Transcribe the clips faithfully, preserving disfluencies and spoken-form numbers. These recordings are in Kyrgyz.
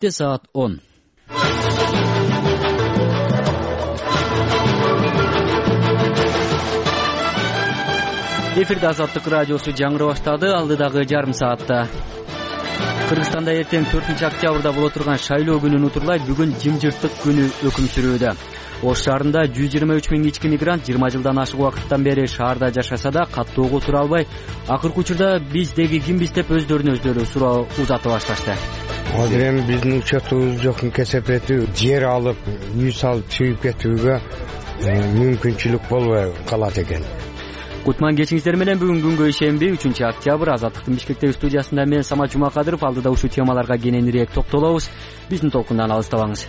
Кечте саат он. Эфирде Азаттык радиосу жаңыра баштады. Алдыдагы жарым саатта Кыргызстанда эртең төртүнчү октябрда боло турган шайлоо күнүн утурлай бүгүн жымжырттык күнү өкүм сүрүүдө. Ош шаарында жүз жыйырма үч миң ички мигрант жыйырма жылдан ашык убакыттан бери шаарда жашаса да каттоого тура албай, акыркы учурда биздеги кимбиз деп өздөрүнө өздөрү суроо узата башташты. Азыр эми биздин учетубуз жок, кесепети жер алып, үй салып чыгып кетүүгө мүмкүнчүлүк болбой калат экен. Кутман кечиңиздер менен бүгүн күнгө ишемби үчүнчү октябрь Азаттыктын Бишкектеги студиясында мен Самат Жумакадыров. Алдыда ушул темаларга кененирээк токтолобуз. Биздин толкундан алыстабаңыз.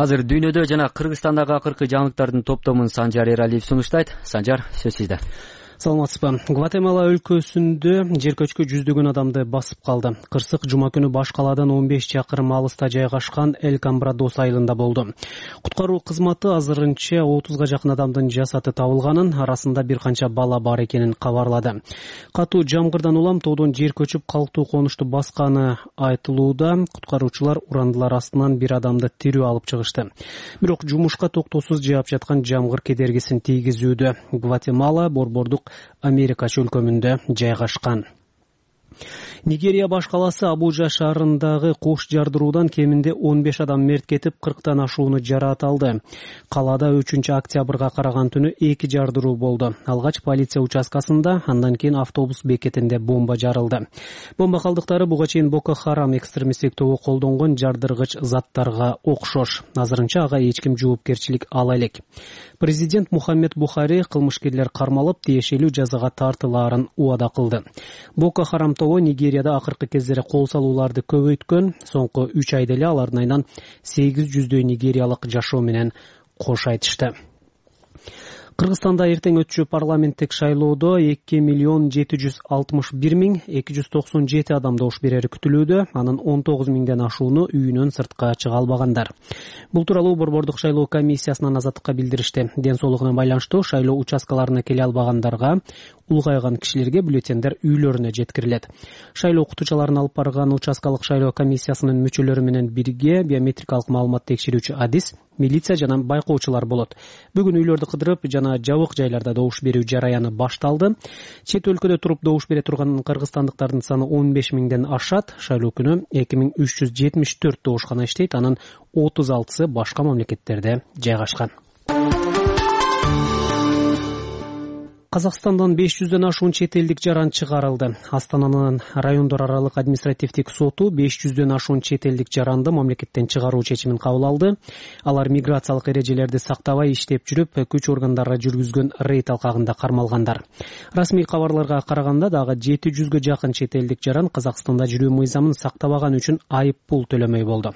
Азыр дүйнөдө жана Кыргызстандагы акыркы жаңылыктардын топтомун Санжар Эралиев сунуштайт. Санжар, сөз сизде. Саламатсызбы. Гватемала өлкөсүндө жер көчкү жүздөгөн адамды басып калды. Кырсык жума күнү баш калаадан он беш чакырым алыста жайгашкан Эль Камбрадос айылында болду. Куткаруу кызматы азырынча отузга жакын адамдын жасаты табылганын, арасында бир канча бала бар экенин кабарлады. Катуу жамгырдан улам тоодон жер көчүп калктуу конушту басканы айтылууда. Куткаруучулар урандылар астынан бир адамды тирүү алып чыгышты. Бирок жумушка токтоосуз жаап жаткан жамгыр кедергисин тийгизүүдө. Гватемала борбордук Америка чөлкөмүндө жайгашкан. Нигерия баш калаасы Абужа шаарындагы кош жардыруудан кеминде он беш адам мерт кетип, кырктан ашууну жараат алды. Калаада үчүнчү октябрга караган түнү эки жардыруу болду. Алгач полиция участкасында, андан кийин автобус бекетинде бомба жарылды. Бомба калдыктары буга чейин Боко Харам экстремисттик тобу колдонгон жардыргыч заттарга окшош. Азырынча ага эч ким жоопкерчилик ала элек. Президент Мухаммед Бухари кылмышкерлер кармалып, тиешелүү жазага тартылаарын убада кылды. Боко Харам тобу Нигерияда акыркы кездери кол салууларды көбөйткөн. Соңку үч айда эле алардын айынан сегиз жүздөй нигериялык жашоо менен кош айтышты. Кыргызстанда эртең өтчү парламенттик шайлоодо эки миллион жети жүз алтымыш бир миң эки жүз токсон жети адам добуш берери күтүлүүдө. Анын он тогуз миңден ашууну үйүнөн сыртка чыга албагандар. Бул тууралуу борбордук шайлоо комиссиясынан Азаттыкка билдиришти. Ден соолугуна байланыштуу шайлоо участкаларына келе албагандарга, улгайган кишилерге бюллетендер үйлөрүнө жеткирилет. Шайлоо окутуучуларын алып барган участкалык шайлоо комиссиясынын мүчөлөрү менен бирге биометрикалык маалымат текшерүүчү адис, милиция жана байкоочулар болот. Бүгүн үйлөрдү кыдырып жана жабык жайларда добуш берүү жараяны башталды. Чет өлкөдө туруп добуш бере турган кыргызстандыктардын саны он беш миңден ашат. Шайлоо күнү эки миң үч жүз жетимиш төрт добушкана иштейт, анын отуз алтысы башка мамлекеттерде жайгашкан. Казакстандан беш жүздөн ашуун чет элдик жаран чыгарылды. Астананын райондор аралык административдик соту беш жүздөн ашуун чет элдик жаранды мамлекеттен чыгаруу чечимин кабыл алды. Алар миграциялык эрежелерди сактабай иштеп жүрүп, күч органдары жүргүзгөн рейд алкагында кармалгандар. Расмий кабарларга караганда дагы жети жүзгө жакын чет элдик жаран Казакстанда жүрүү мыйзамын сактабаган үчүн айып пул төлөмөй болду.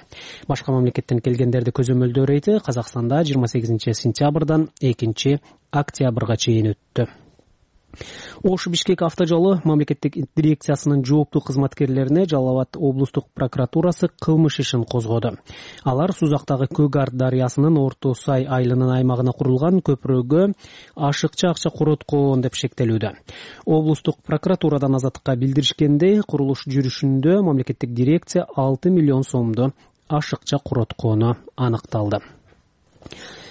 Башка мамлекеттен келгендерди көзөмөлдөө рейди Казакстанда жыйырма сегизинчи сентябрдан экинчи октябрга чейин өттү. Ош Бишкек автожолу мамлекеттик дирекциясынын жооптуу кызматкерлерине Жалал Абад облустук прокуратурасы кылмыш ишин козгоду. Алар Сузактагы Көк дарыясынын Орто Сай айылынын аймагына курулган көпүрөгө ашыкча акча короткон деп шектелүүдө. Облустук прокуратурадан Азаттыкка билдиришкендей, курулуш жүрүшүндө мамлекеттик дирекция алты миллион сомду ашыкча короткону аныкталды.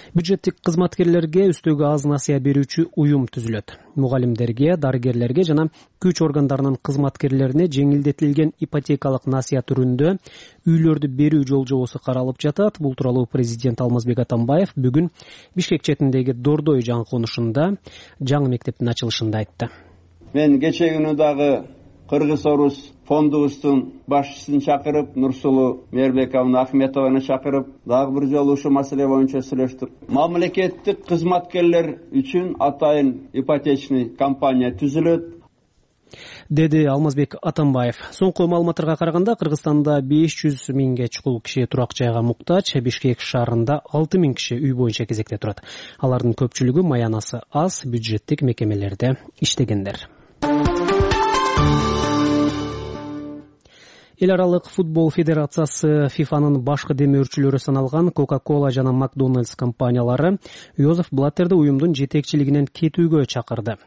Бюджеттик кызматкерлерге үстөгө аз насыя берүүчү уюм түзүлөт. Мугалимдерге, дарыгерлерге жана күч органдарынын кызматкерлерине жеңилдетилген ипотекалык насыя түрүндө үйлөрдү берүү жолжобосу каралып жатат. Бул тууралуу президент Алмазбек Атамбаев бүгүн Бишкек четиндеги Дордой жаңы конушунда жаңы мектептин ачылышында айтты. Мен кече күнү дагы Кыргыз-Орус фондубуздун башчысын чакырып, Нурсулу Мербековну Ахметованы чакырып, дагы бир жолу ушул маселе боюнча сүйлөштүк. Мамлекеттик кызматкерлер үчүн атайын ипотечный компания түзүлөт, деди Алмазбек Атамбаев. Соңку маалыматтарга караганда Кыргызстанда беш жүз миңге чукул киши турак жайга муктач. Бишкек шаарында алты миң киши үй боюнча кезекте турат. Алардын көпчүлүгү маянасы аз бюджеттик мекемелерде иштегендер. Эл аралык футбол федерациясы фифанын башкы демөөрчүлөрү саналган Coca-Cola жана Макдоналдс компаниялары Йозеф Блаттерди уюмдун жетекчилигинен кетүүгө чакырды.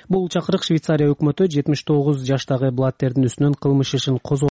Бул чакырык Швейцария өкмөтү жетимиш тогуз жаштагы Блаттердин үстүнөн кылмыш ишин козгоду.